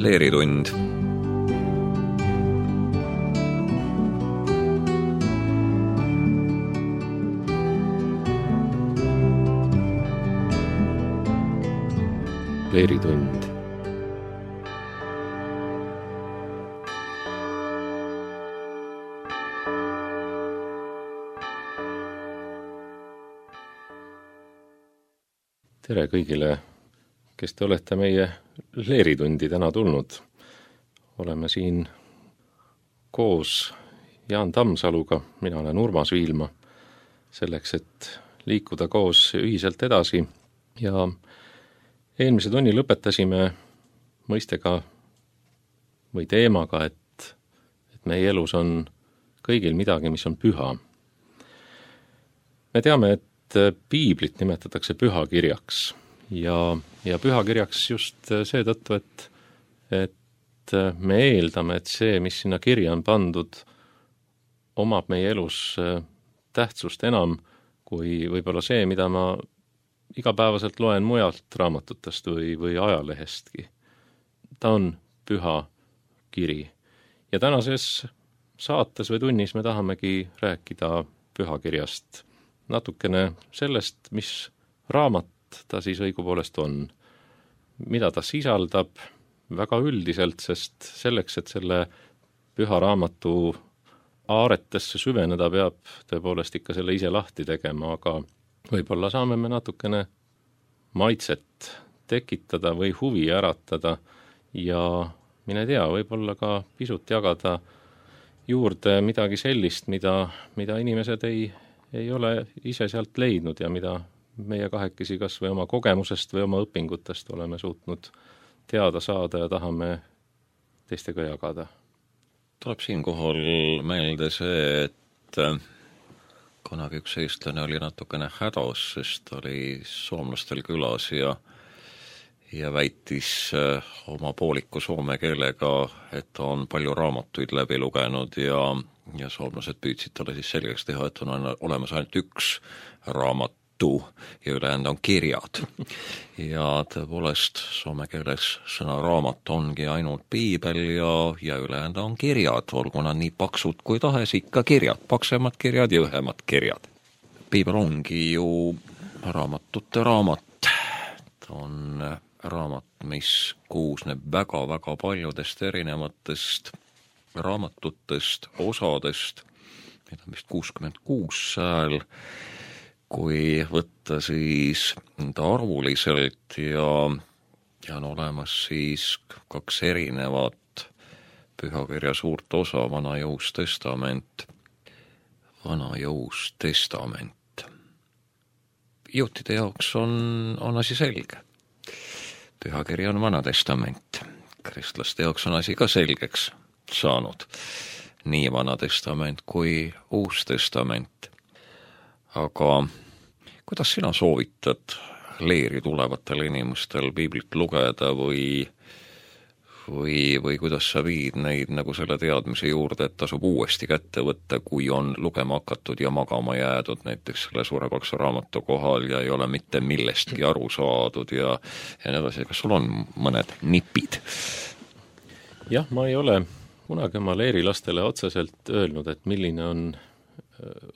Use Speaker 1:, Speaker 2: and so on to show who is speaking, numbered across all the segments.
Speaker 1: Leeritund.
Speaker 2: Leeritund. Tere kõigile, kes te olete meie Leeritundi täna tulnud. Oleme siin koos Jaan Tammsaluga, mina olen Urmas Viilma, selleks, et liikuda koos ühiselt edasi. Ja eelmise tunni lõpetasime mõistega või teemaga, et meie elus on kõigil midagi, mis on püha. Me teame, et piiblit nimetatakse pühakirjaks ja pühakirjaks just seetõttu, et me eeldame, et see, mis sinna kirja on pandud, omab meie elus tähtsust enam kui võib-olla see, mida ma igapäevaselt loen mujalt raamatutest või ajalehestki. Ta on püha kiri. Ja tänases saates või tunnis me tahamegi rääkida pühakirjast. Natukene sellest, mis raamat ta siis õigupoolest on. Mida ta sisaldab väga üldiselt, sest selleks, et selle püha raamatu aaretesse süveneda, peab tõepoolest ikka selle ise lahti tegema, aga võib-olla saame me natukene maitset tekitada või huvi äratada ja mine tea, võib-olla ka pisut jagada juurde midagi sellist, mida inimesed ei ole ise sealt leidnud ja mida meie kahekesi kas või oma kogemusest või oma õpingutest oleme suutnud teada saada ja tahame teistega jagada.
Speaker 1: Tuleb siinkohal meelde see, et kunagi üks eestlane oli natukene hädas, sest oli soomlastel külas ja väitis oma pooliku soome keelega, et ta on palju raamatuid läbi lugenud ja soomlased püüdsid talle siis selgeks teha, et on olemas ainult üks raamatu ja ülejäänud on kirjad. Ja tõepoolest soome keeles sõna raamat ongi ainult piibel ja ülejäänud on kirjad, olgu nad nii paksud kui tahes, ikka kirjad, paksemad kirjad ja õhemad kirjad. Piibel ongi ju raamatute raamat. Ta on raamat, mis koosneb väga-väga paljudest erinevatest raamatutest, osadest, mida on vist 66 sääl, kui võtta siis arvuliselt ja on olemas siis 2 erinevat pühakirja suurt osa, Vana Jõus Testament, Vana Jõus Testament. Juutide jaoks on asi selge. Pühakiri on Vana Testament. Kristlaste jaoks on asi ka selgeks saanud. Nii Vana Testament kui Uus Testament. Aga kuidas sina soovitad leeri tulevatel inimestel piiblit lugeda või kuidas sa viid neid nagu selle teadmise juurde, et tasub uuesti kätte võtta, kui on lugema hakatud ja magama jäädud näiteks selle suure paksu raamatu kohal ja ei ole mitte millestki aru saadud ja nii edasi. Kas sul on mõned nipid?
Speaker 2: Jah, ma ei ole kunagi oma leerilastele otseselt öelnud, et milline on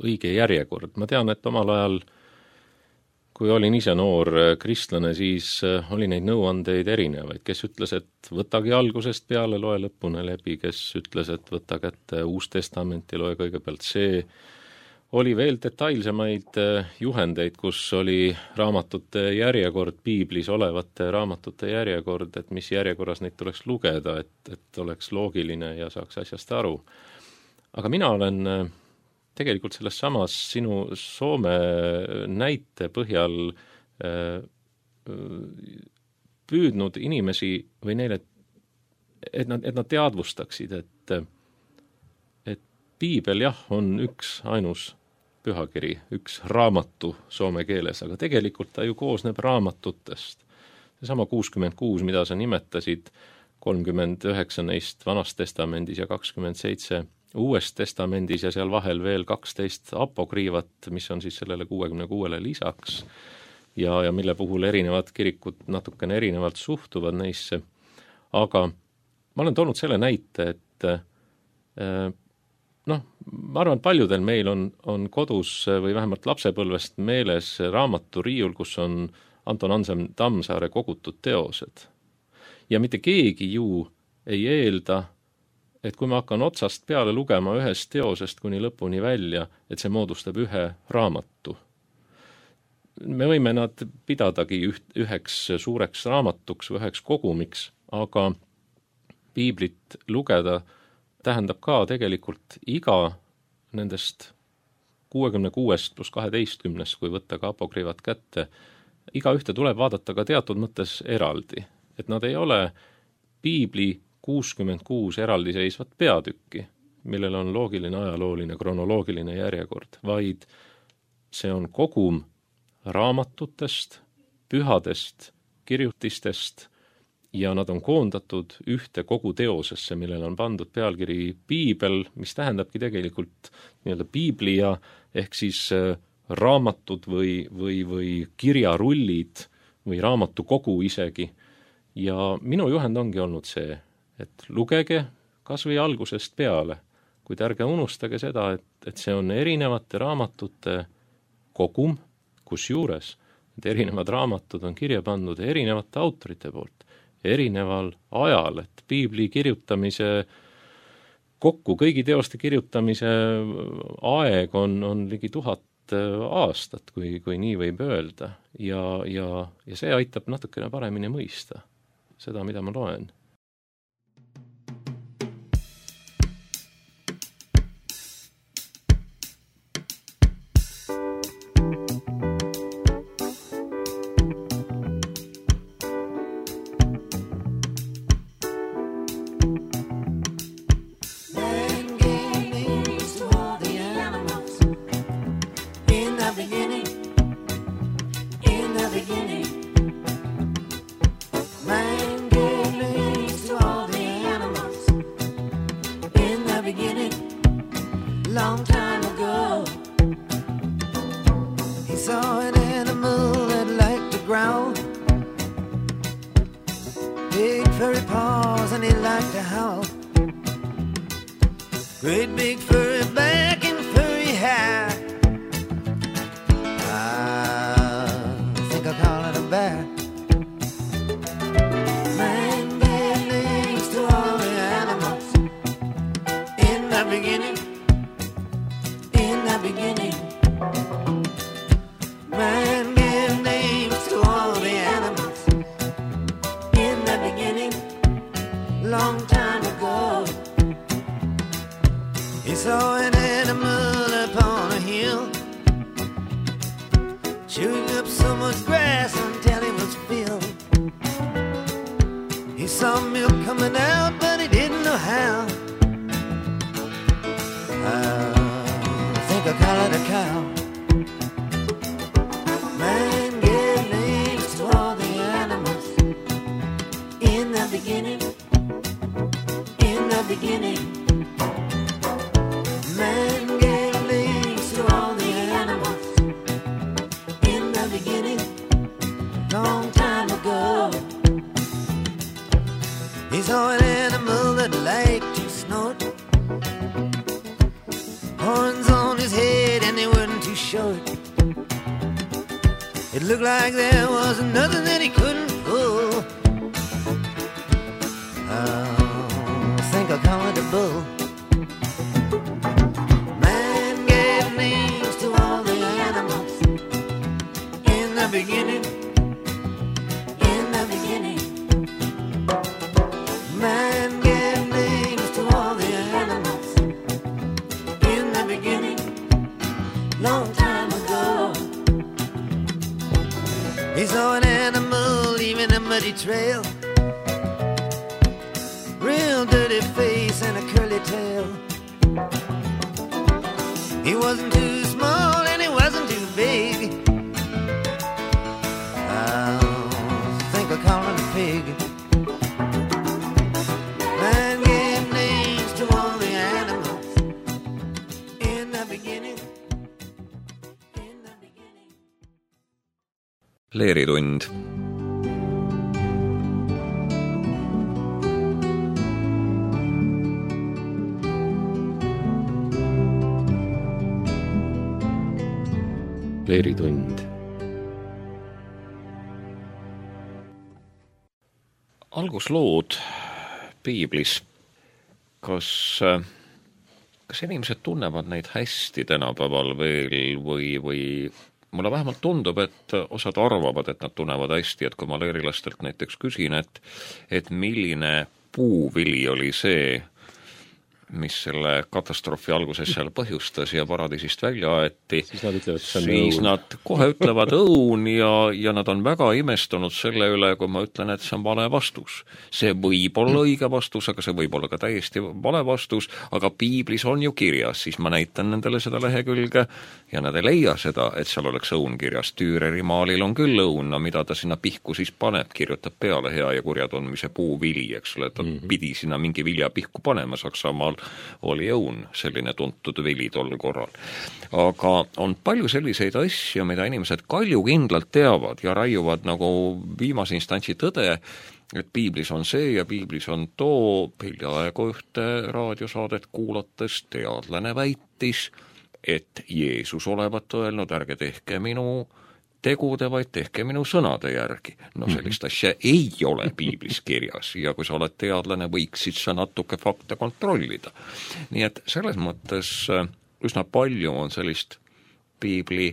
Speaker 2: õige järjekord. Ma tean, et omal ajal, kui olin ise noor kristlane, siis oli neid nõuandeid erinevaid. Kes ütles, et võtagi algusest peale, loe lõpuni läbi, kes ütles, et võta kätte Uus Testament ja loe kõigepealt see. Oli veel detailsemaid juhendeid, kus oli raamatute järjekord, piiblis olevate raamatute järjekord, et mis järjekorras neid tuleks lugeda, et oleks loogiline ja saaks asjast aru. Aga mina olen tegelikult selles samas sinu Soome näite põhjal püüdnud inimesi või neile, et nad teadvustaksid, et piibel jah, on üks ainus pühakiri, üks raamatu soome keeles, aga tegelikult ta ju koosneb raamatutest. Seesama 66, mida sa nimetasid, 39 neist Vanas Testamendis ja 27 Uues Testamendis ja seal vahel veel 12 apokriivat, mis on siis sellele 66 lisaks ja mille puhul erinevad kirikud natukene erinevalt suhtuvad neisse. Aga ma olen toonud selle näite, et ma arvan, et paljudel meil on kodus või vähemalt lapsepõlvest meeles raamaturiiul, kus on Anton Ansem Tammsaare kogutud teosed. Ja mitte keegi ju ei eelda, et kui ma hakkan otsast peale lugema ühest teosest kuni lõpuni välja, et see moodustab ühe raamatu. Me võime nad pidadagi üheks suureks raamatuks või üheks kogumiks, aga piiblit lugeda tähendab ka tegelikult iga nendest 66 pluss 12, kui võtta ka apokriivad kätte, iga ühte tuleb vaadata ka teatud mõttes eraldi. Et nad ei ole piibli 66 eraldiseisvat peatükki, millel on loogiline, ajalooline, kronoloogiline järjekord, vaid see on kogum raamatutest, pühadest, kirjutistest ja nad on koondatud ühte kogu teosesse, millele on pandud pealkiri piibel, mis tähendabki tegelikult nii-öelda piiblia ehk siis raamatud või kirjarullid või raamatukogu isegi. Ja minu juhend ongi olnud see, et lugege kas või algusest peale, kuid ärge unustage seda, et see on erinevate raamatute kogum, kusjuures need erinevad raamatud on kirja pandud erinevate autorite poolt, erineval ajal, et piibli kirjutamise kokku, kõigi teoste kirjutamise aeg on ligi 1000 aastat, kui nii võib öelda, ja see aitab natukene paremini mõista seda, mida ma loen.
Speaker 3: Long time ago, he saw an animal that liked to growl, big furry paws and he liked to howl, great big furry back and furry hair. I think I'll call it a bear. Man gave names to all the animals in the beginning. Beginning, man gave names to all the animals in the beginning, long time ago. He saw an animal upon a hill, chewing up so much grass until he was filled. He saw milk coming out, but he didn't know how. I call it a cow. Man gave names to all the animals in the beginning, in the beginning. Man gave names to all the animals in the beginning, long time ago. He saw an animal that liked to snort, horns on his head and they weren't too short. It looked like there was nothing that he couldn't pull. I think I'll call it a bull. Man gave names to all the animals in the beginning, in the beginning. Man gave names to all the animals in the beginning, long time ago. He saw an animal leaving a muddy trail, real dirty face and a curly tail. He wasn't too small and he wasn't too big. I think I'll call him a pig. Man gave names to all the animals in the beginning.
Speaker 1: Leeritund.
Speaker 2: leeritund.
Speaker 1: Alguslood piiblis, kas inimesed tunnevad neid hästi tänapäeval veel või mulle vähemalt tundub, et osad arvavad, et nad tunnevad hästi, et kui ma leerilastelt näiteks küsin, et milline puuvili oli see, mis selle katastroofi alguses seal põhjustas ja paradiisist välja aeti, siis nad kohe ütlevad õun ja nad on väga imestunud selle üle, kui ma ütlen, et see on vale vastus. See võib olla õige vastus, aga see võib olla ka täiesti vale vastus, aga piiblis on ju kirjas, siis ma näitan nendele seda lehekülge ja nad ei leia seda, et seal oleks õun kirjas. Düüreri maalil on küll õun, no mida ta sinna pihku siis paneb, kirjutab peale hea ja kurja tundmise puuvili, eks ole, ta pidi sinna mingi vilja pihku panema. Saksamaal oli õun selline tuntud vili tol korral. Aga on palju selliseid asju, mida inimesed kaljukindlalt teavad ja raiuvad nagu viimase instantsi tõde, et piiblis on see ja piiblis on too. Hiljaaegu ühte raadiosaadet kuulates teadlane väitis, et Jeesus olevat öelnud, ärge tehke minu tegude, vaid tehke minu sõnade järgi. No sellist asja ei ole piiblis kirjas ja kui sa oled teadlane, võiksid sa natuke fakte kontrollida. Nii et selles mõttes üsna palju on sellist piibli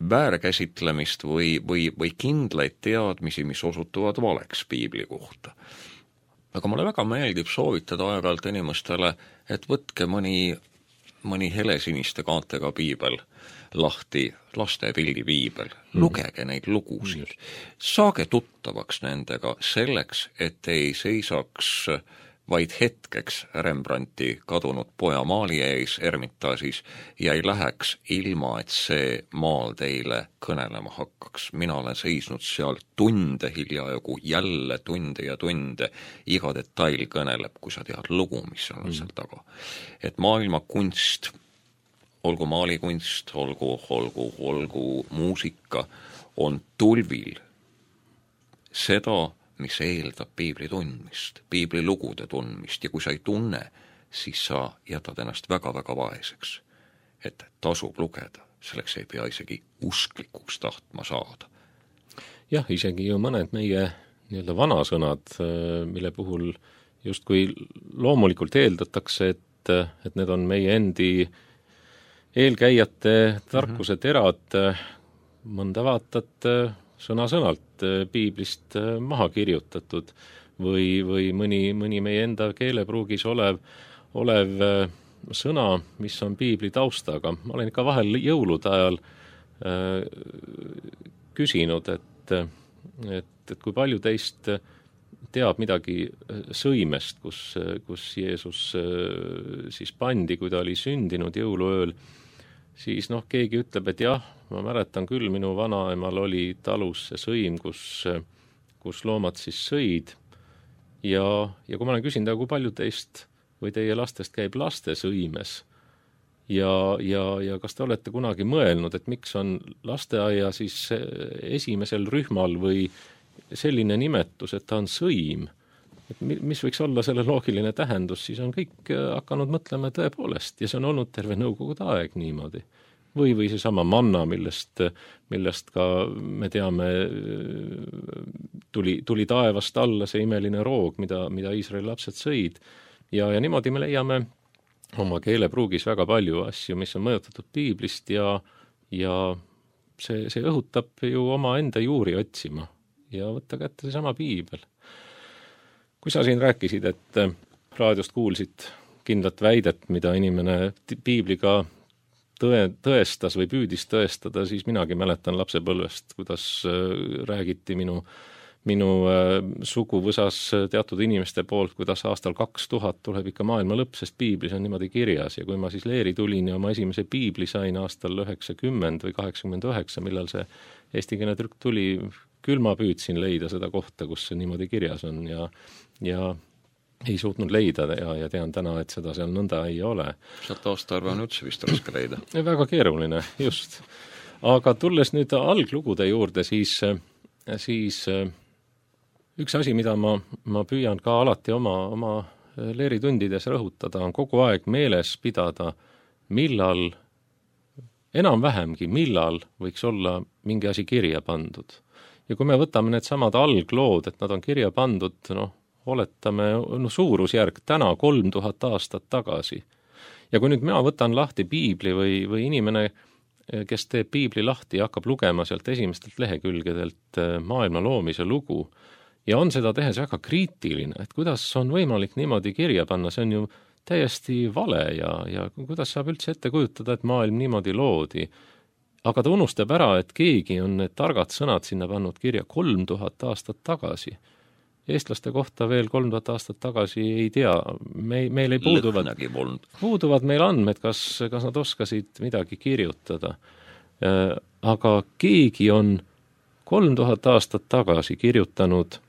Speaker 1: väärkäsitlemist või kindlaid teadmisi, mis osutuvad valeks piibli kohta. Aga mulle väga meeldib soovitada aeg-ajalt inimestele, et võtke mõni helesiniste kaantega piibel lahti, laste pildipiibel, lugege neid lugusid, saage tuttavaks nendega selleks, et ei seisaks vaid hetkeks Rembrandti kadunud poja maali ees Ermitaasis ja ei läheks ilma, et see maal teile kõnelema hakkaks. Mina olen seisnud seal tunde hiljajagu, jälle tunde ja tunde, iga detail kõneleb, kui sa tead lugu, mis on seal taga. Et maailma kunst, olgu maalikunst, olgu muusika, on tulvil seda, mis eeldab piibli tundmist, piibli lugude tundmist ja kui sa ei tunne, siis sa jätad ennast väga-väga vaeseks. Et tasub lugeda, selleks ei pea isegi usklikuks tahtma saada.
Speaker 2: Jah, isegi ju mõned meie nii-öelda vanasõnad, mille puhul justkui loomulikult eeldatakse, et need on meie endi eelkäijate tarkuse terad, mõnda vaatad sõna-sõnalt piiblist maha kirjutatud või mõni meie enda keelepruugis olev sõna, mis on piibli taustaga. Ma olen ikka vahel jõulude ajal küsinud, et kui palju teist teab midagi sõimest, kus Jeesus siis pandi, kui ta oli sündinud jõuluööl, siis keegi ütleb, et jah, ma mäletan küll, minu vanaemal oli talus see sõim, kus loomad siis sõid. Ja kui ma olen küsinud, kui palju teist või teie lastest käib laste sõimes ja kas te olete kunagi mõelnud, et miks on lasteaia siis esimesel rühmal või selline nimetus, et ta on sõim, et mis võiks olla selle loogiline tähendus, siis on kõik hakanud mõtlema tõepoolest ja see on olnud terve nõukogude aeg niimoodi. Või seesama manna, millest ka me teame, tuli taevast alla see imeline roog, mida Iisraeli lapsed sõid. Ja niimoodi me leiame oma keelepruugis väga palju asju, mis on mõjutatud piiblist ja see õhutab ju oma enda juuri otsima ja võtta kätte seesama piibel. Kui sa siin rääkisid, et raadiost kuulsid kindlat väidet, mida inimene piibliga tõestas või püüdis tõestada, siis minagi mäletan lapsepõlvest, kuidas räägiti minu suguvõsas teatud inimeste poolt, kuidas aastal 2000 tuleb ikka maailma lõpp, sest piiblis on niimoodi kirjas ja kui ma siis leeri tulin ja oma esimese piibli sain aastal 90 või 89, millal see eestikeelne trükk tuli, küll ma püüdsin leida seda kohta, kus see niimoodi kirjas on ja ei suutnud leida ja tean täna, et seda seal nõnda ei ole.
Speaker 1: Sealt aastaarve on üldse vist raske leida.
Speaker 2: Väga keeruline, just. Aga tulles nüüd alglugude juurde, siis üks asi, mida ma püüan ka alati oma leeritundides rõhutada, on kogu aeg meeles pidada, millal enam-vähemgi, millal võiks olla mingi asi kirja pandud. Ja kui me võtame need samad alglood, et nad on kirja pandud, oletame, suurusjärk täna 3000 aastat tagasi. Ja kui nüüd mina võtan lahti piibli või inimene, kes teeb piibli lahti ja hakkab lugema sealt esimestelt lehekülgedelt maailma loomise lugu, ja on seda tehes väga kriitiline, et kuidas on võimalik niimoodi kirja panna, see on ju täiesti vale ja kuidas saab üldse ette kujutada, et maailm niimoodi loodi. Aga ta unustab ära, et keegi on need targad sõnad sinna pannud kirja 3000 aastat tagasi. Eestlaste kohta veel 3000 aastat tagasi ei tea, meil ei puuduvad meil andmed, kas nad oskasid midagi kirjutada. Aga keegi on 3000 aastat tagasi kirjutanud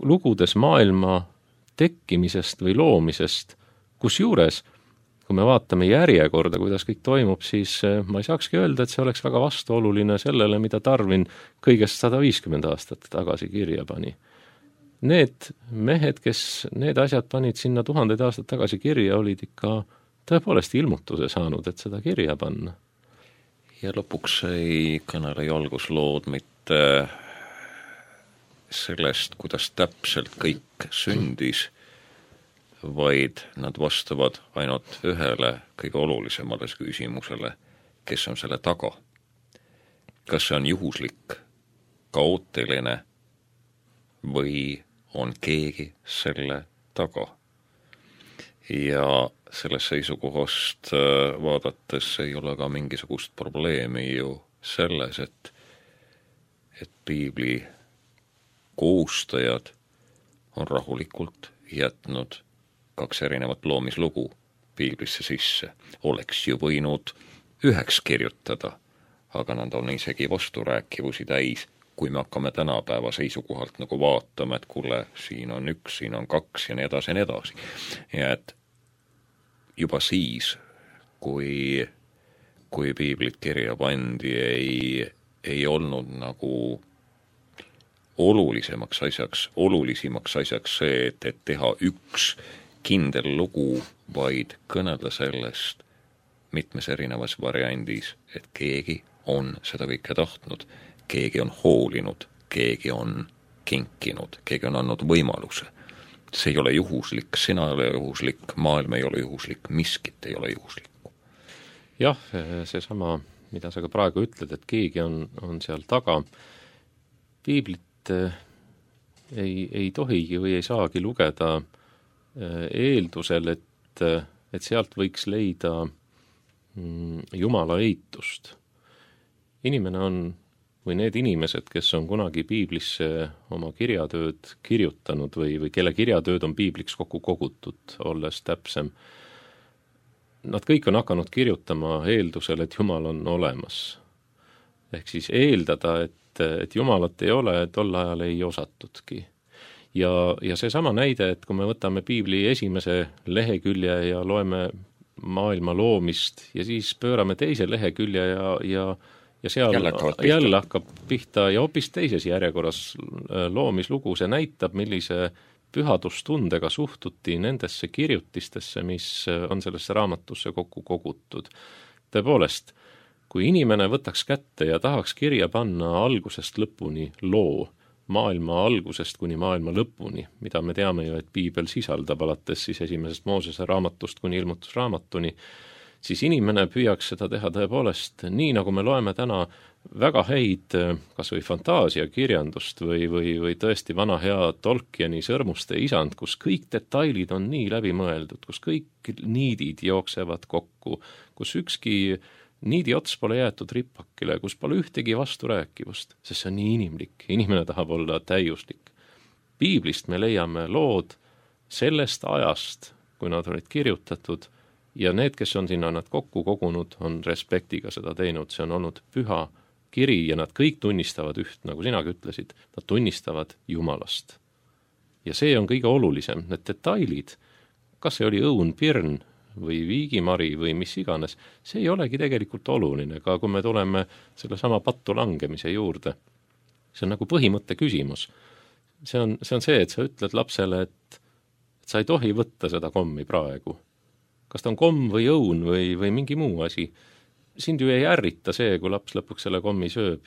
Speaker 2: lugudes maailma tekkimisest või loomisest, kusjuures, kui me vaatame järjekorda, kuidas kõik toimub, siis ma ei saakski öelda, et see oleks väga vastuoluline sellele, mida Darwin kõigest 150 aastat tagasi kirja pani. Need mehed, kes need asjad panid sinna 1000 aastat tagasi kirja, olid ikka tõepoolest ilmutuse saanud, et seda kirja panna.
Speaker 1: Ja lõpuks ei kõnele jalguslood mitte sellest, kuidas täpselt kõik sündis, vaid nad vastavad ainult ühele kõige olulisemale küsimusele, kes on selle taga. Kas see on juhuslik, kaootiline või on keegi selle taga? Ja sellest seisukohast vaadates ei ole ka mingisugust probleemi ju selles, et piibli koostajad on rahulikult jätnud 2 erinevat loomislugu piiblisse sisse. Oleks ju võinud 9 kirjutada, aga nad on isegi vasturääkivusi täis, kui me hakkame tänapäeva seisukohalt nagu vaatama, et kuule, siin on 1, siin on 2 ja nii edasi ja nii edasi. Ja et juba siis, kui piiblit kirja pandi, ei olnud nagu olulisimaks asjaks see, et teha 1 kindel lugu, vaid kõnelda sellest mitmes erinevas variandis, et keegi on seda kõike tahtnud, keegi on hoolinud, keegi on kinkinud, keegi on andnud võimaluse. See ei ole juhuslik, sina ei ole juhuslik, maailm ei ole juhuslik, miskit ei ole juhuslikku.
Speaker 2: Jah, seesama, mida sa ka praegu ütled, et keegi on seal taga. Piiblit ei tohigi või ei saagi lugeda eeldusel, et sealt võiks leida Jumala eitust. Inimene on, või need inimesed, kes on kunagi piiblisse oma kirjatööd kirjutanud või kelle kirjatööd on piibliks kokku kogutud, olles täpsem, nad kõik on hakanud kirjutama eeldusel, et Jumal on olemas. Ehk siis eeldada, et Jumalat ei ole, tol ajal ei osatudki. Ja seesama näide, et kui me võtame piibli esimese lehekülje ja loeme maailma loomist ja siis pöörame teise lehekülje ja seal jälle hakkab pihta ja hoopis teises järjekorras loomislugu, see näitab, millise pühadustundega suhtuti nendesse kirjutistesse, mis on sellesse raamatusse kokku kogutud. Tõepoolest, kui inimene võtaks kätte ja tahaks kirja panna algusest lõpuni loo, maailma algusest kuni maailma lõpuni, mida me teame ju, et piibel sisaldab alates siis esimesest Moosese raamatust kuni ilmutusraamatuni, siis inimene püüaks seda teha tõepoolest nii, nagu me loeme täna väga häid kas või fantaasiakirjandust või tõesti vana hea Tolkieni Sõrmuste isand, kus kõik detailid on nii läbimõeldud, kus kõik niidid jooksevad kokku, kus ükski niidi ots pole jäetud ripakile, kus pole ühtegi vasturääkivust, sest see on nii inimlik. Inimene tahab olla täiuslik. Piiblist me leiame lood sellest ajast, kui nad olid kirjutatud, ja need, kes on sinna nad kokku kogunud, on respektiga seda teinud. See on olnud püha kiri ja nad kõik tunnistavad üht, nagu sinagi ütlesid, nad tunnistavad Jumalast. Ja see on kõige olulisem, need detailid, kas see oli õun, pirn või viigimari või mis iganes, see ei olegi tegelikult oluline, ka kui me tuleme selle sama pattu langemise juurde. See on nagu põhimõtte küsimus. See on see, et sa ütled lapsele, et sa ei tohi võtta seda kommi praegu. Kas ta on komm või õun või mingi muu asi. sind ju ei ärrita see, kui laps lõpuks selle kommi sööb.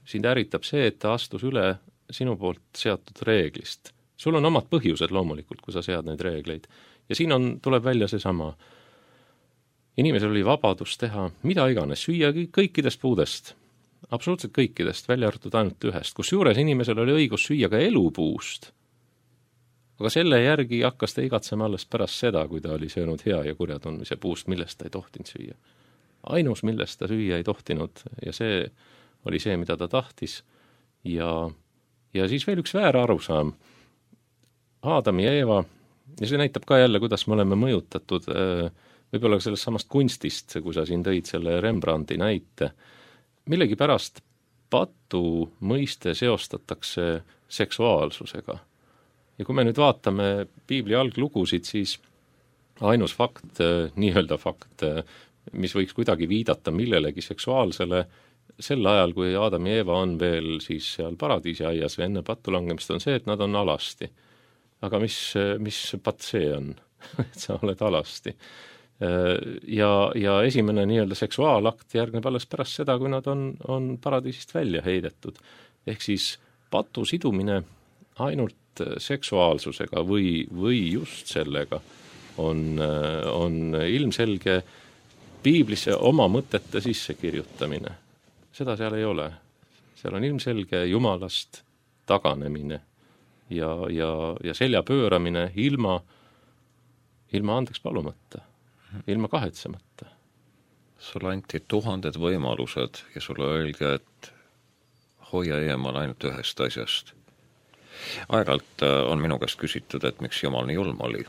Speaker 2: Sind ärritab see, et ta astus üle sinu poolt seatud reeglist. Sul on omad põhjused loomulikult, kui sa sead neid reegleid. Ja siin tuleb välja seesama. Inimesel oli vabadus teha mida iganes, süüa kõikidest puudest, absoluutselt kõikidest, välja arvatud ainult ühest, kus juures inimesel oli õigus süüa ka elupuust. Aga selle järgi hakkas ta igatsema alles pärast seda, kui ta oli söönud hea ja kurja tundmise puust, millest ta ei tohtinud süüa. Ainus, millest ta süüa ei tohtinud ja see oli see, mida ta tahtis. Ja siis veel üks väär arusaam. Aadam ja Eeva, ja see näitab ka jälle, kuidas me oleme mõjutatud võib-olla sellest samast kunstist, kui sa siin tõid selle Rembrandti näite. Millegi pärast patu mõiste seostatakse seksuaalsusega. Ja kui me nüüd vaatame Piibli alglugusid, siis ainus fakt, nii-öelda fakt, mis võiks kuidagi viidata millelegi seksuaalsele, sel ajal, kui Aadam ja Eeva on veel siis seal paradiisiaias või enne pattu langemist, on see, et nad on alasti. Aga mis patt see on, et sa oled alasti? Ja esimene nii-öelda seksuaalakt järgneb alles pärast seda, kui nad on paradiisist välja heidetud. Ehk siis patu sidumine ainult seksuaalsusega või just sellega on ilmselge Piiblisse oma mõtete sissekirjutamine. Seda seal ei ole. Seal on ilmselge Jumalast taganemine ja selja pööramine ilma andeks palumata, ilma kahetsemata.
Speaker 1: Sulle anti 1000 võimalused ja sulle öeldi, et hoia eemal ainult ühest asjast. Aeg-alt on minu käest küsitud, et miks Jumal nii julm oli.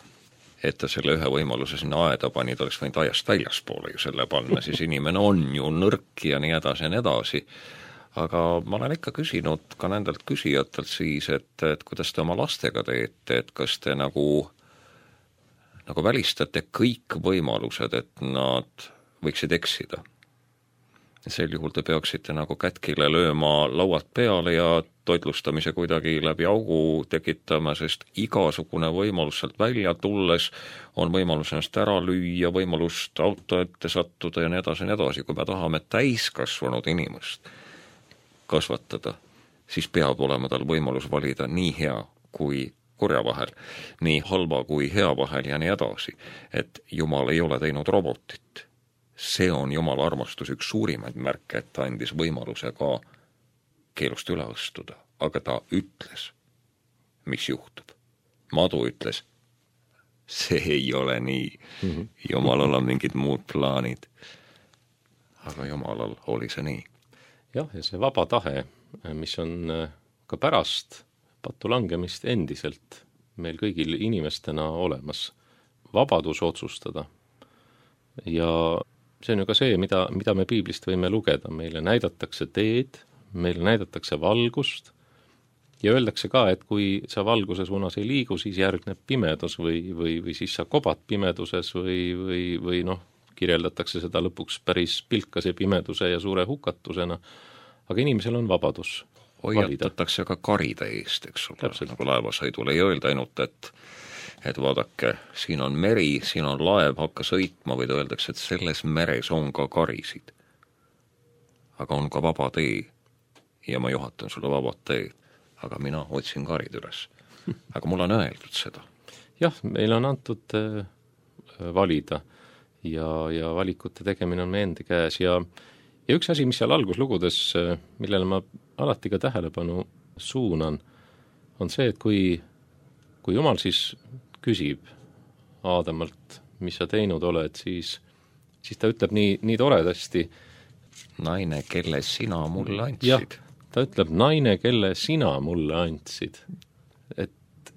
Speaker 1: Et ta selle ühe võimaluse sinna aeda pani, ta oleks võinud aiast väljaspoole ju selle panna, siis inimene on ju nõrk ja nii edasi. Aga ma olen ikka küsinud ka nendelt küsijatelt siis, et kuidas te oma lastega teete, et kas te nagu välistate kõik võimalused, et nad võiksid eksida. Sel juhul te peaksite nagu kätkile lööma lauad peale ja toitlustamise kuidagi läbi augu tekitama, sest igasugune võimalus sealt välja tulles on võimalus ennast ära lüüa, võimalust auto ette sattuda ja nii edasi. Kui me tahame täiskasvanud inimest kasvatada, siis peab olema tal võimalus valida nii hea kui kurja vahel, nii halva kui hea vahel ja nii edasi. Et Jumal ei ole teinud robotit. See on Jumala armastus üks suurimaid märke, et ta andis võimaluse ka keelust üle astuda, aga ta ütles, mis juhtub. Madu ütles, see ei ole nii. Jumalal on mingid muud plaanid. Aga Jumalal oli see nii.
Speaker 2: Jah, ja see vaba tahe, mis on ka pärast pattu langemist endiselt meil kõigil inimestena olemas. Vabadus otsustada. Ja see on ju ka see, mida me Piiblist võime lugeda. Meile näidatakse teed, meile näidatakse valgust ja öeldakse ka, et kui sa valguse suunas ei liigu, siis järgneb pimedus või siis sa kobad pimeduses või kirjeldatakse seda lõpuks päris pilkase pimeduse ja suure hukatusena. Aga inimesel on vabadus
Speaker 1: hoiatatakse ka karide eest, eks ole, nagu laevasõidul ei öelda ainult, et vaadake, siin on meri, siin on laev, hakka sõitma, või öeldakse, et selles meres on ka karisid. Aga on ka vaba tee ja ma juhatan sulle vabad teed, aga mina otsin karid üles. Aga mul on öeldud seda.
Speaker 2: Jah, meil on antud valida ja valikute tegemine on meie endi käes ja üks asi, mis seal alguslugudes, millele ma alati ka tähelepanu suunan, on see, et kui Jumal siis küsib Aadamalt, mis sa teinud oled, siis ta ütleb nii toredasti.
Speaker 1: Naine, kelle sina mulle andsid.
Speaker 2: Jah, ta ütleb, naine, kelle sina mulle andsid. Et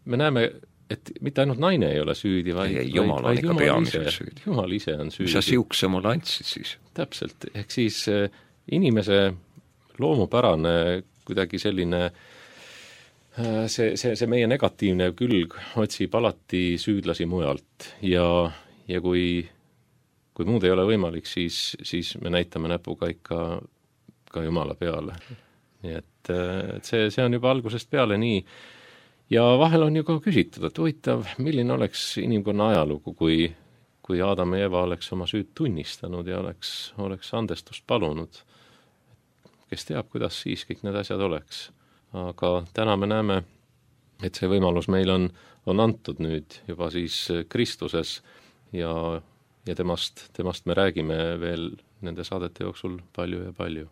Speaker 2: me näeme, et mitte ainult naine ei ole süüdi, vaid
Speaker 1: Jumal on ikka peamiselt süüdi.
Speaker 2: Jumal ise on süüdi.
Speaker 1: Mis sa siukse mulle andsid siis?
Speaker 2: Täpselt, ehk siis inimese loomupärane kuidagi selline see meie negatiivne külg otsib alati süüdlasi mujalt ja kui muud ei ole võimalik, siis me näitame näpuga ikka ka Jumala peale. Nii et see on juba algusest peale nii. Ja vahel on ju ka küsitud, et huvitav, milline oleks inimkonna ajalugu, kui kui Adam ja Eva oleks oma süüd tunnistanud ja oleks andestust palunud. Kes teab, kuidas siis kõik need asjad oleks. Aga täna me näeme, et see võimalus meil on antud nüüd juba siis Kristuses ja temast me räägime veel nende saadete jooksul palju ja palju.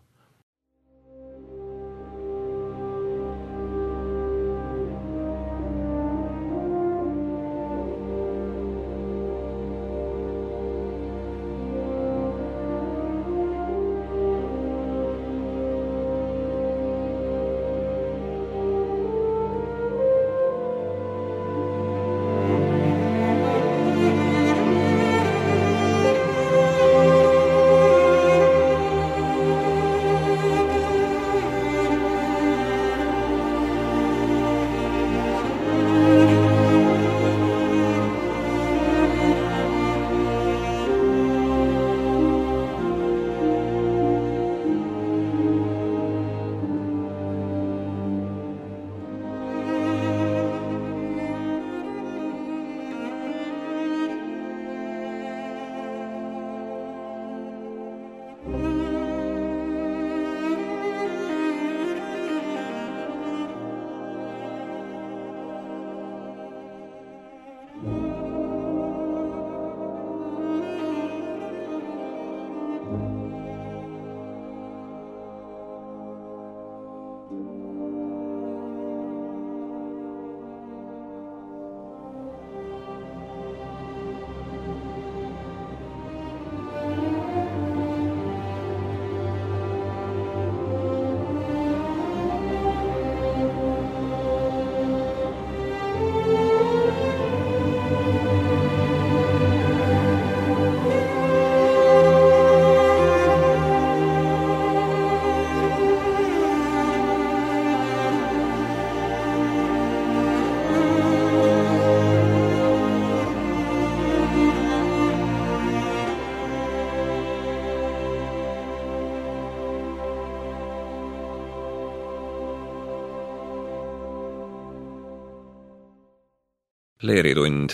Speaker 1: Leeritund.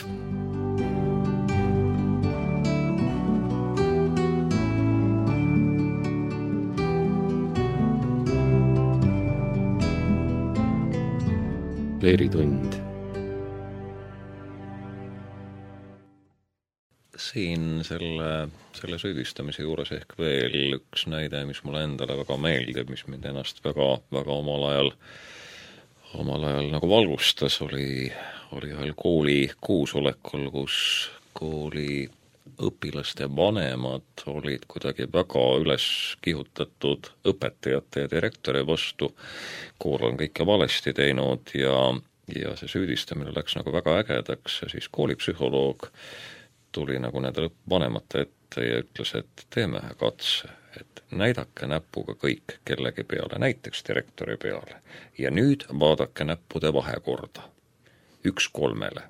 Speaker 2: Leeritund.
Speaker 1: Siin selle süüdistamise juures ehk veel üks näide, mis mulle endale väga meeldib, mis mind ennast väga omal ajal nagu valgustas, oli ühel kooli koosolekul, kus kooli õpilaste vanemad olid kuidagi väga üles kihutatud õpetajate ja direktori vastu. Kool on kõike valesti teinud ja see süüdistamine läks nagu väga ägedaks ja siis koolipsühholoog tuli nagu nende vanemate ette ja ütles, et teeme ühe katse, et näidake näpuga kõik kellegi peale, näiteks direktori peale. Ja nüüd vaadake näppude vahekorda. 1:3,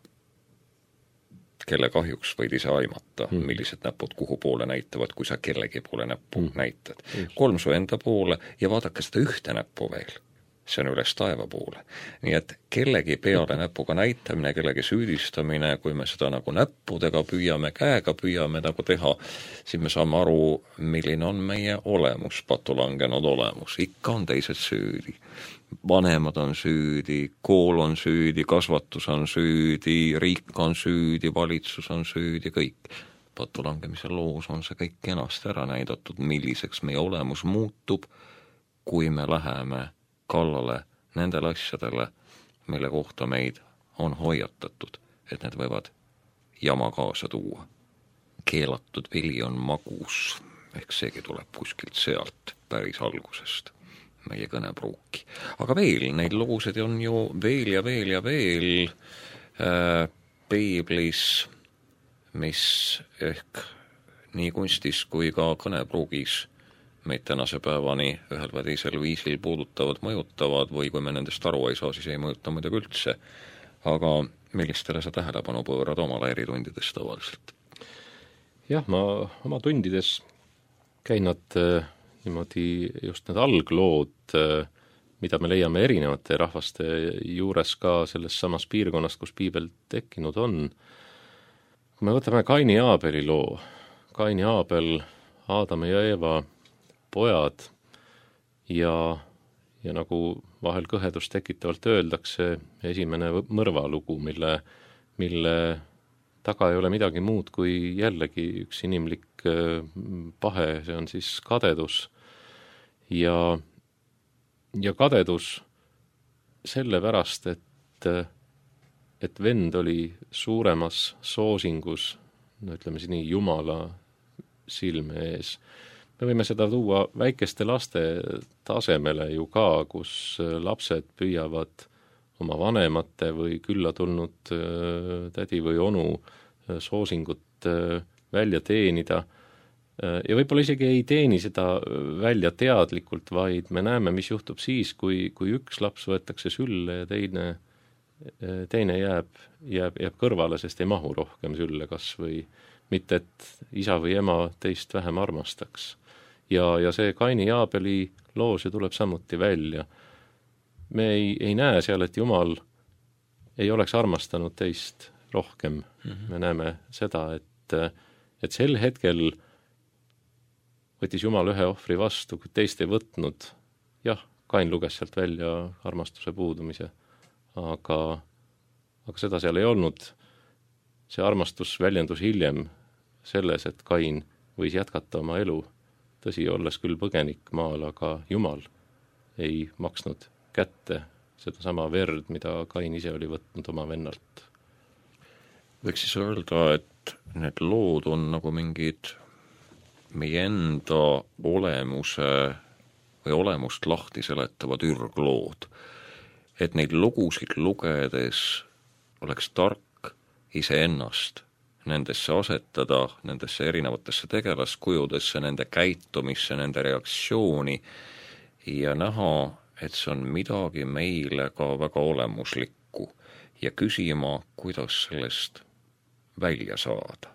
Speaker 1: kelle kahjuks võid ise aimata, millised näpud kuhu poole näitavad, kui sa kellegi poole näppu näitad. 3 su enda poole ja vaadake seda ühte näppu veel. See on üles taeva poole. Nii et kellegi peale näpuga näitamine, kellegi süüdistamine, kui me seda nagu näppudega püüame, käega püüame nagu teha, siis me saame aru, milline on meie olemus, patulangenud olemus. Ikka on teised süüdi. Vanemad on süüdi, kool on süüdi, kasvatus on süüdi, riik on süüdi, valitsus on süüdi, kõik. Patulangemise loos on see kõik kenasti ära näidatud, milliseks meie olemus muutub, kui me läheme kallale nendele asjadele, mille kohta meid on hoiatatud, et need võivad jama kaasa tuua. Keelatud vili on magus, ehk seegi tuleb kuskilt sealt päris algusest meie kõnepruuki. Aga veel, neid lugusid on ju veel ja veel ja veel piiblis, mis ehk nii kunstis kui ka kõnepruugis meid tänase päevani ühel või teisel viisil puudutavad, mõjutavad või kui me nendest aru ei saa, siis ei mõjuta muidugi üldse. Aga millistele sa tähelepanu pöörad oma leeritundides tavaliselt?
Speaker 2: Jah, ma oma tundides käin nad niimoodi just need alglood, mida me leiame erinevate rahvaste juures ka selles samas piirkonnast, kus piibel tekkinud on. kui me võtame Kaini ja Aabeli loo, Kain ja Aabel, Aadam ja Eeva pojad ja nagu vahel kõhedust tekitavalt öeldakse, esimene mõrvalugu, mille taga ei ole midagi muud kui jällegi üks inimlik pahe, see on siis kadedus. Ja kadedus sellepärast, et vend oli suuremas soosingus, no ütleme siis nii, Jumala silme ees. Me võime seda tuua väikeste laste tasemele ju ka, kus lapsed püüavad oma vanemate või külla tulnud tädi või onu soosingut välja teenida. Ja võib-olla isegi ei teeni seda välja teadlikult, vaid me näeme, mis juhtub siis, kui üks laps võetakse sülle ja teine jääb kõrvale, sest ei mahu rohkem sülle kas või mitte, et isa või ema teist vähem armastaks. Ja see Kaini ja Aabeli loos ju tuleb samuti välja. Me ei näe seal, et Jumal ei oleks armastanud teist rohkem. Me näeme seda, et sel hetkel võttis Jumal ühe ohvri vastu, kui teist ei võtnud. Jah, Kain luges sealt välja armastuse puudumise, aga seda seal ei olnud. See armastus väljendus hiljem selles, et Kain võis jätkata oma elu, tõsi, olles küll põgenik maal, aga Jumal ei maksnud kätte seda sama verd, mida Kain ise oli võtnud oma vennalt.
Speaker 1: Võiks siis öelda, et need lood on nagu mingid meie enda olemuse või olemust lahti seletavad ürglood. Et neid lugusid lugedes oleks tark iseennast nendesse asetada, nendesse erinevatesse tegelaskujudesse, nende käitumisse, nende reaktsiooni ja näha, et see on midagi meile ka väga olemuslikku ja küsima, kuidas sellest välja saada.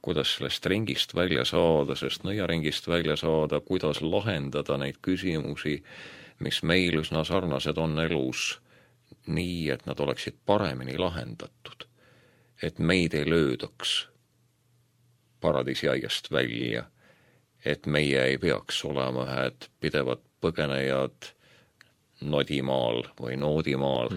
Speaker 1: Kuidas sellest ringist välja saada, sest nõiaringist välja saada, kuidas lahendada neid küsimusi, mis meil üsna sarnased on elus, nii, et nad oleksid paremini lahendatud. Et meid ei löödaks paradiisiaiast välja, et meie ei peaks olema ühed pidevad põgenejad nodimaal või noodimaal,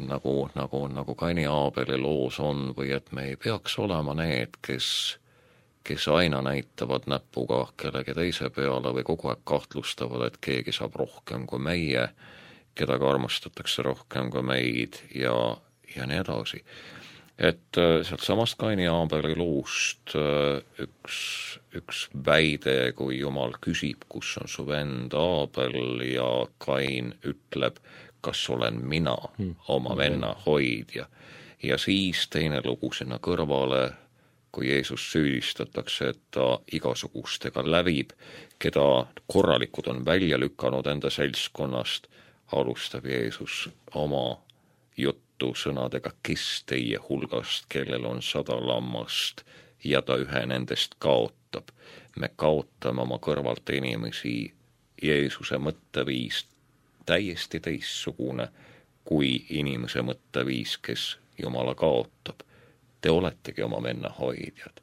Speaker 1: nagu Kaini ja Aabeli loos on, või et me ei peaks olema need, kes aina näitavad näpuga kellegi teise peale või kogu aeg kahtlustavad, et keegi saab rohkem kui meie, kedagi armastatakse rohkem kui meid ja nii edasi. Et sealt samast Kaini ja Aabeli loost üks väide, kui Jumal küsib, kus on su vend Aabel ja Kain ütleb, kas olen mina, oma venna hoidja. Ja siis teine lugu sinna kõrvale, kui Jeesus süüdistatakse, et ta igasugustega lävib, keda korralikud on välja lükanud enda seltskonnast, alustab Jeesus oma juttu sõnadega, kes teie hulgast, kellel on 100 lammast ja ta ühe nendest kaotab. Me kaotame oma kõrvalt inimesi, Jeesuse mõtteviis täiesti teistsugune kui inimese mõtteviis, kes Jumala kaotab. Te oletegi oma venna hoidjad.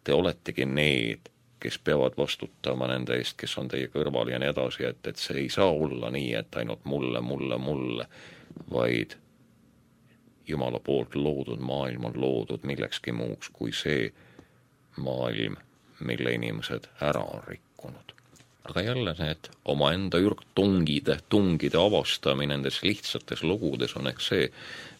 Speaker 1: Te oletegi need, kes peavad vastutama nende eest, kes on teie kõrval ja nii edasi, et see ei saa olla nii, et ainult mulle, vaid Jumala poolt loodud maailm on loodud millekski muuks kui see maailm, mille inimesed ära on rikkunud. Aga jälle need omaenda ürgtungide avastamine nendes lihtsates lugudes on ehk see,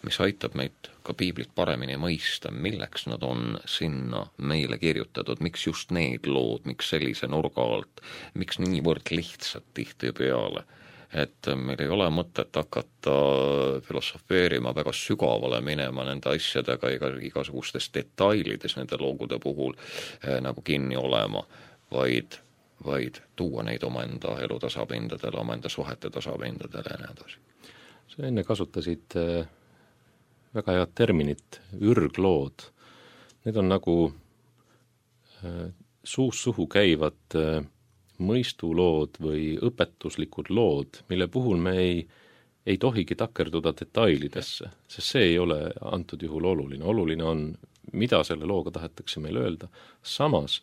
Speaker 1: mis aitab meid ka piiblit paremini mõista, milleks nad on sinna meile kirjutatud, miks just need lood, miks sellise nurga alt, miks niivõrd lihtsalt tihtipeale. Et meil ei ole mõtet hakata filosofeerima, väga sügavale minema nende asjadega igasugustes detailides nende loogude puhul nagu kinni olema, vaid tuua neid omaenda elu tasapindadele, omaenda suhete tasapindadele ja nii edasi.
Speaker 2: Sa enne kasutasid väga head terminit, ürglood. Need on nagu suust suhu käivad mõistulood või õpetuslikud lood, mille puhul me ei tohigi takerduda detailidesse, sest see ei ole antud juhul oluline. Oluline on, mida selle looga tahetakse meil öelda. Samas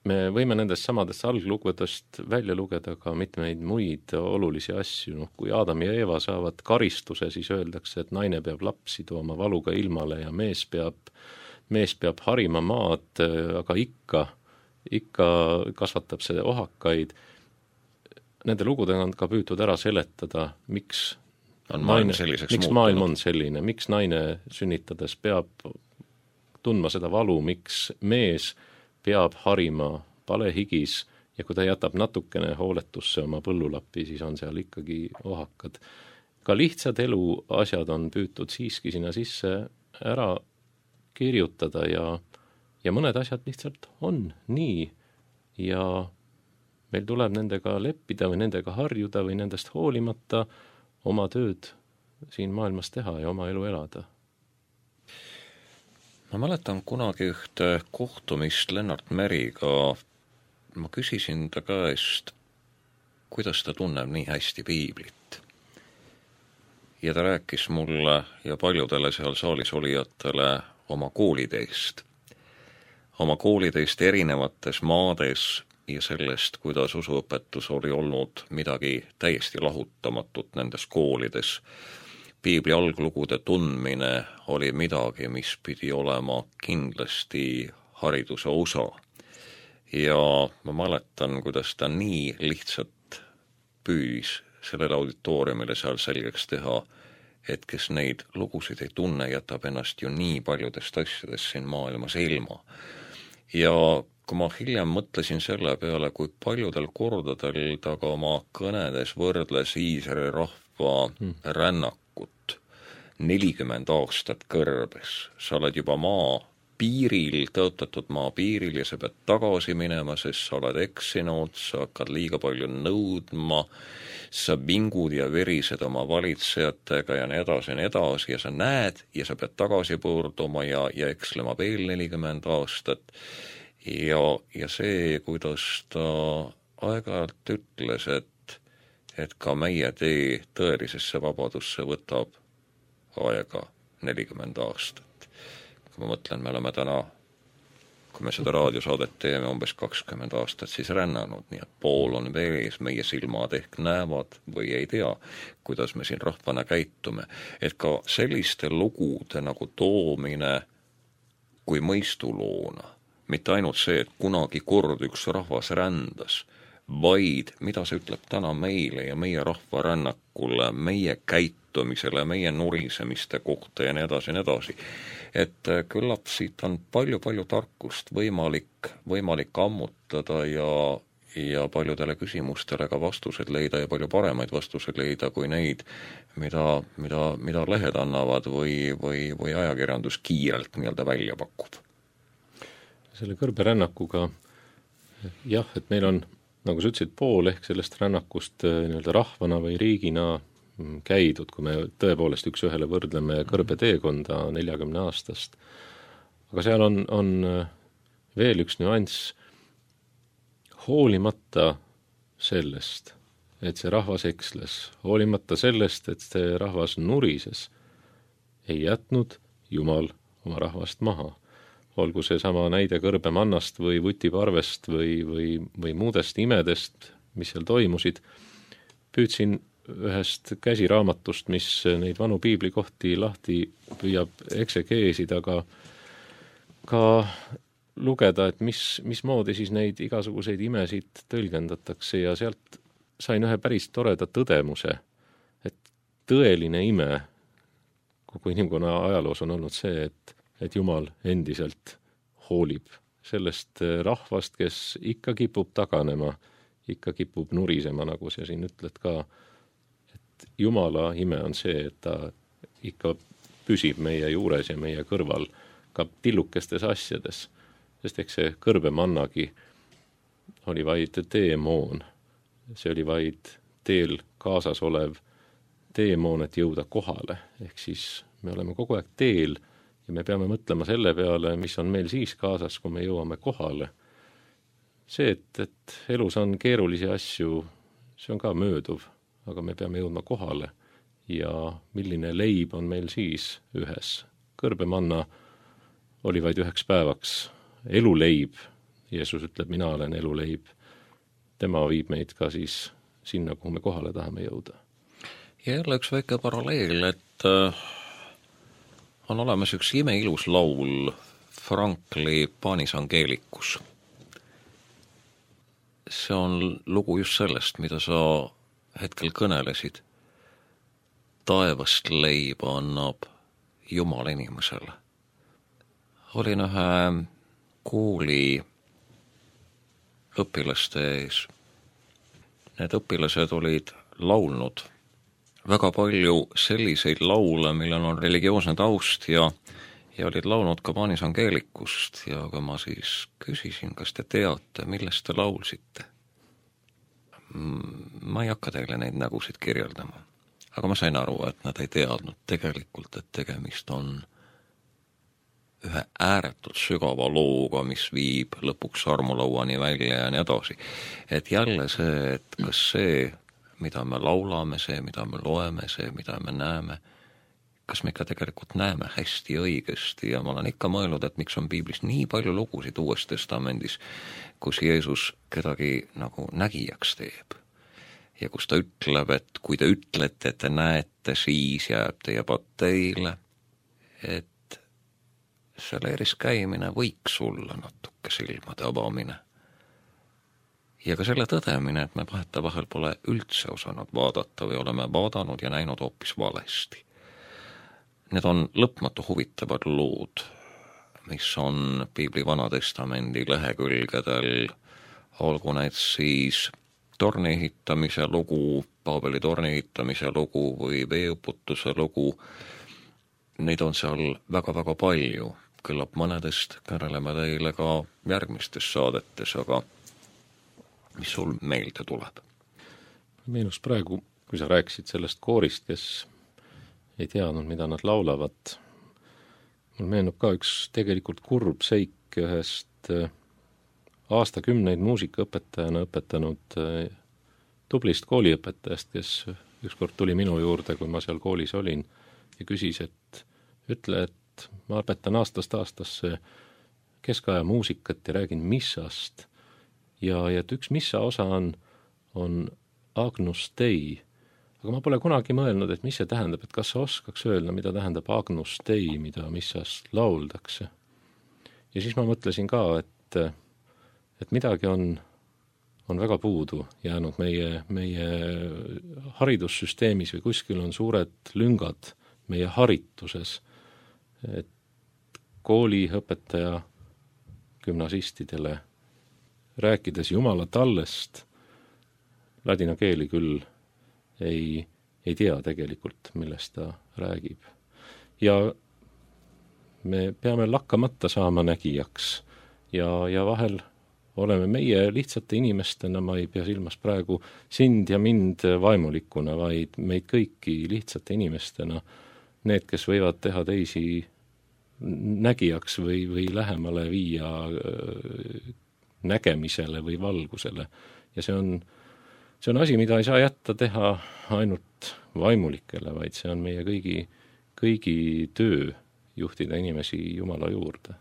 Speaker 2: me võime nendest samadest alglugudest välja lugeda ka mitmeid muid olulisi asju. Kui Adam ja Eeva saavad karistuse, siis öeldakse, et naine peab lapsi tooma valuga ilmale ja mees peab harima maad, aga ikka kasvatab see ohakaid. Nende lugudega on ka püütud ära seletada, miks maailm on selline, miks naine sünnitades peab tundma seda valu, miks mees peab harima palehigis ja kui ta jätab natukene hooletusse oma põllulappi, siis on seal ikkagi ohakad. Ka lihtsad elu asjad on püütud siiski sinna sisse ära kirjutada ja mõned asjad lihtsalt on nii ja meil tuleb nendega leppida või nendega harjuda või nendest hoolimata oma tööd siin maailmas teha ja oma elu elada.
Speaker 1: Ma mäletan kunagi ühte kohtumist Lennart Meriga. Ma küsisin ta käest, kuidas ta tunneb nii hästi piiblit. Ja ta rääkis mulle ja paljudele seal saalis olijatele oma koolideist. Oma koolideist erinevates maades ja sellest, kuidas usuõpetus oli olnud midagi täiesti lahutamatut nendes koolides. Piibli alglugude tundmine oli midagi, mis pidi olema kindlasti hariduse osa. Ja ma mäletan, kuidas ta nii lihtsalt püüdis sellele auditooriumile seal selgeks teha, et kes neid lugusid ei tunne, jätab ennast ju nii paljudest asjadest siin maailmas ilma. Ja kui ma hiljem mõtlesin selle peale, kui paljudel kordadel ta ka oma kõnedes võrdles Iisraeli rahva rännakut 40 aastat kõrbes. Sa oled juba maa piiril, tõotatud maa piiril ja sa pead tagasi minema, sest sa oled eksinud, sa hakkad liiga palju nõudma, sa vingud ja verised oma valitsejatega ja nii edasi ja sa näed ja sa pead tagasi pöörduma ja ekslema veel 40 aastat. Ja see, kuidas ta aeg-ajalt ütles, et ka meie tee tõelisesse vabadusse võtab aega 40 aastat. Kui ma mõtlen, me oleme täna, kui me seda raadiosaadet teeme umbes 20 aastat, siis rännanud, nii et pool on vees, meie silmad ehk näevad või ei tea, kuidas me siin rahvana käitume. Et ka selliste lugude nagu toomine kui mõistuloona, mitte ainult see, et kunagi kord üks rahvas rändas, vaid mida see ütleb täna meile ja meie rahva rännakule, meie käitumisele, meie nurisemiste kohta ja nii edasi. Et küllap siit on palju tarkust võimalik ammutada ja paljudele küsimustele ka vastused leida ja palju paremaid vastused leida kui neid, mida lehed annavad või ajakirjandus kiirelt nii-öelda välja pakub.
Speaker 2: Selle kõrberännakuga, jah, et meil on, nagu sa ütlesid, pool ehk sellest rännakust nii-öelda rahvana või riigina käidud, kui me tõepoolest üks ühele võrdleme kõrbeteekonda 40 aastast. Aga seal on veel üks nüanss, hoolimata sellest, et see rahvas eksles, hoolimata sellest, et see rahvas nurises, ei jätnud Jumal oma rahvast maha. Olgu see sama näide kõrbemannast või vutiparvest või muudest imedest, mis seal toimusid. Püüdsin ühest käsiraamatust, mis neid vanu piiblikohti lahti püüab eksegeesida, aga ka lugeda, et mismoodi siis neid igasuguseid imesid tõlgendatakse ja sealt sain ühe päris toreda tõdemuse, et tõeline ime kogu inimkonna ajaloos on olnud see, et Jumal endiselt hoolib sellest rahvast, kes ikka kipub taganema, ikka kipub nurisema, nagu sa siin ütled ka, et Jumala ime on see, et ta ikka püsib meie juures ja meie kõrval ka tillukestes asjades, sest eks see kõrbemannagi oli vaid teemoon, see oli vaid teel kaasas olev teemoon, et jõuda kohale, ehk siis me oleme kogu aeg teel ja me peame mõtlema selle peale, mis on meil siis kaasas, kui me jõuame kohale. See, et elus on keerulisi asju, see on ka mööduv, aga me peame jõudma kohale ja milline leib on meil siis ühes. Kõrbemanna oli vaid 1 päevaks, eluleib, Jeesus ütleb, mina olen eluleib, tema viib meid ka siis sinna, kuhu me kohale tahame jõuda.
Speaker 1: Ja jälle üks väike paralleel, et on olemas üks imeilus laul, Frankli Panis Angelicus. See on lugu just sellest, mida sa hetkel kõnelesid. Taevast leiba annab Jumal inimesele. Olin ühe kooli õpilaste ees. Need õpilased olid laulnud väga palju selliseid laule, millel on religioosne taust ja olid laulnud ka Panis Angelicust ja kui ma siis küsisin, kas te teate, millest te laulsite. Ma ei hakka teile neid nägusid kirjeldama, aga ma sain aru, et nad ei teadnud tegelikult, et tegemist on ühe ääretult sügava looga, mis viib lõpuks armulauani välja ja nii edasi. Et jälle see, et kas see, mida me laulame, see, mida me loeme, see, mida me näeme, kas me ikka tegelikult näeme hästi õigesti ja ma olen ikka mõelnud, et miks on piiblis nii palju lugusid Uues Testamendis, kus Jeesus kedagi nagu nägijaks teeb. Ja kus ta ütleb, et kui te ütlete, et te näete, siis jääb teie patt teile, et see leeris käimine võiks olla natuke silmade avamine. Ja ka selle tõdemine, et me vahetevahel pole üldse osanud vaadata või oleme vaadanud ja näinud hoopis valesti. Need on lõpmatu huvitavad lood, mis on piibli Vanatestamendi lehekülgedel, olgu need siis torni ehitamise lugu, Paabeli torni ehitamise lugu või veeuputuse lugu. Neid on seal väga-väga palju. Küllap mõnedest kõneleme teile ka järgmistes saadetes, aga mis sul meelde tuleb?
Speaker 2: Meenus praegu, kui sa rääkisid sellest koorist, kes ei teadnud, mida nad laulavad. Mul meenub ka üks tegelikult kurb seik ühest aastakümneid muusikaõpetajana õpetanud tublist kooliõpetajast, kes ükskord tuli minu juurde, kui ma seal koolis olin ja küsis, et ütle, et ma õpetan aastast aastasse keskaja muusikat ja räägin missast ja et üks missa osa on Agnus Dei, aga ma pole kunagi mõelnud, et mis see tähendab, et kas sa oskaks öelda, mida tähendab Agnus Dei, mida missast lauldakse. Ja siis ma mõtlesin ka, et midagi on väga puudu jäänud meie haridussüsteemis või kuskil on suured lüngad meie harituses, et kooliõpetaja gümnasistidele rääkides Jumala tallest ladina keeli küll ei tea tegelikult, millest ta räägib. Ja me peame lakkamata saama nägijaks ja vahel oleme meie lihtsate inimestena, ma ei pea silmas praegu sind ja mind vaimulikuna, vaid meid kõiki lihtsate inimestena, need, kes võivad teha teisi nägijaks või lähemale viia nägemisele või valgusele. Ja see on asi, mida ei saa jätta teha ainult vaimulikele, vaid see on meie kõigi töö juhtida inimesi Jumala juurde.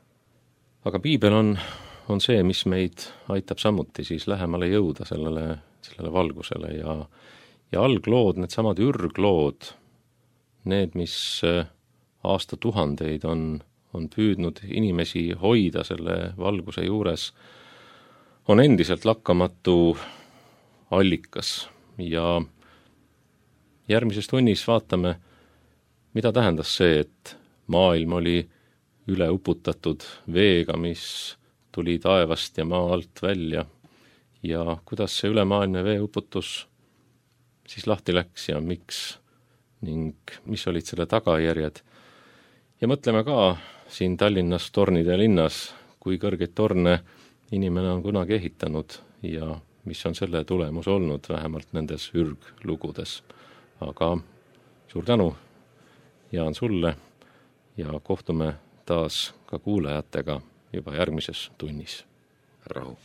Speaker 2: Aga piibel on see, mis meid aitab samuti siis lähemale jõuda sellele valgusele ja alglood, need samad ürglood, need, mis aastatuhandeid on püüdnud inimesi hoida selle valguse juures, on endiselt lakkamatu allikas ja järgmises tunnis vaatame, mida tähendas see, et maailm oli üle uputatud veega, mis tuli taevast ja maa alt välja ja kuidas see ülemaailmne veeuputus siis lahti läks ja miks ning mis olid selle tagajärjed. Ja mõtleme ka siin Tallinnas tornide linnas, kui kõrgeid torne inimene on kunagi ehitanud ja mis on selle tulemus olnud vähemalt nendes ürglugudes. Aga suur tänu, Jaan, sulle ja kohtume taas ka kuulajatega juba järgmises tunnis.
Speaker 1: Rahu.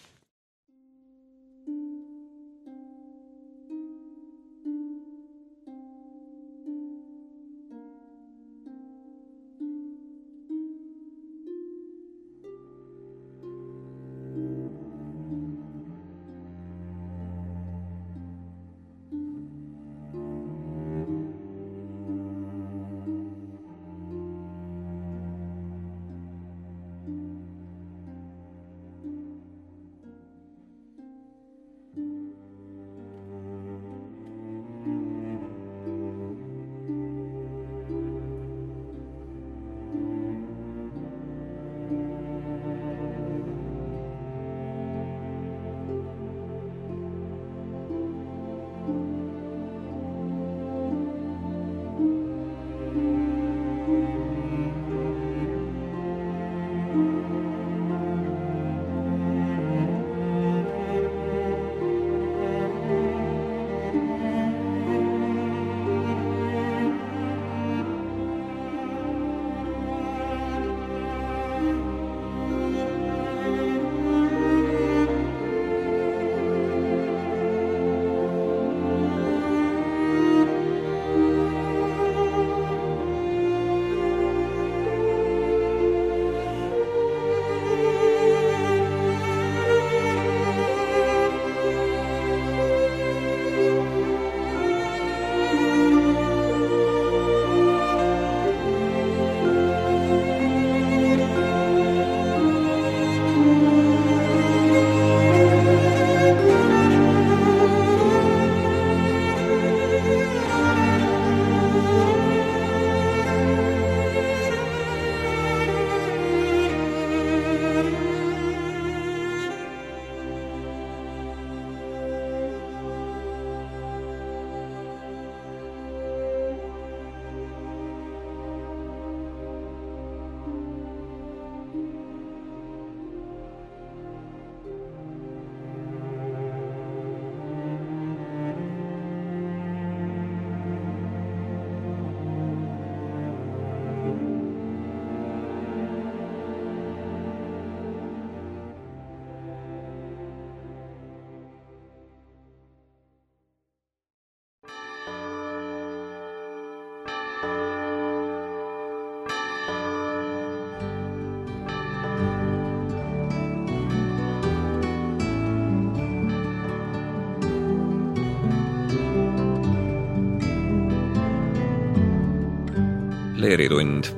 Speaker 1: Leeritund.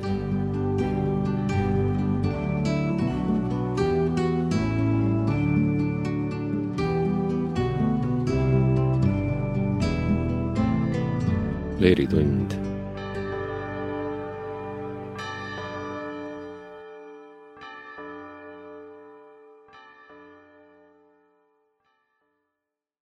Speaker 2: Leeritund.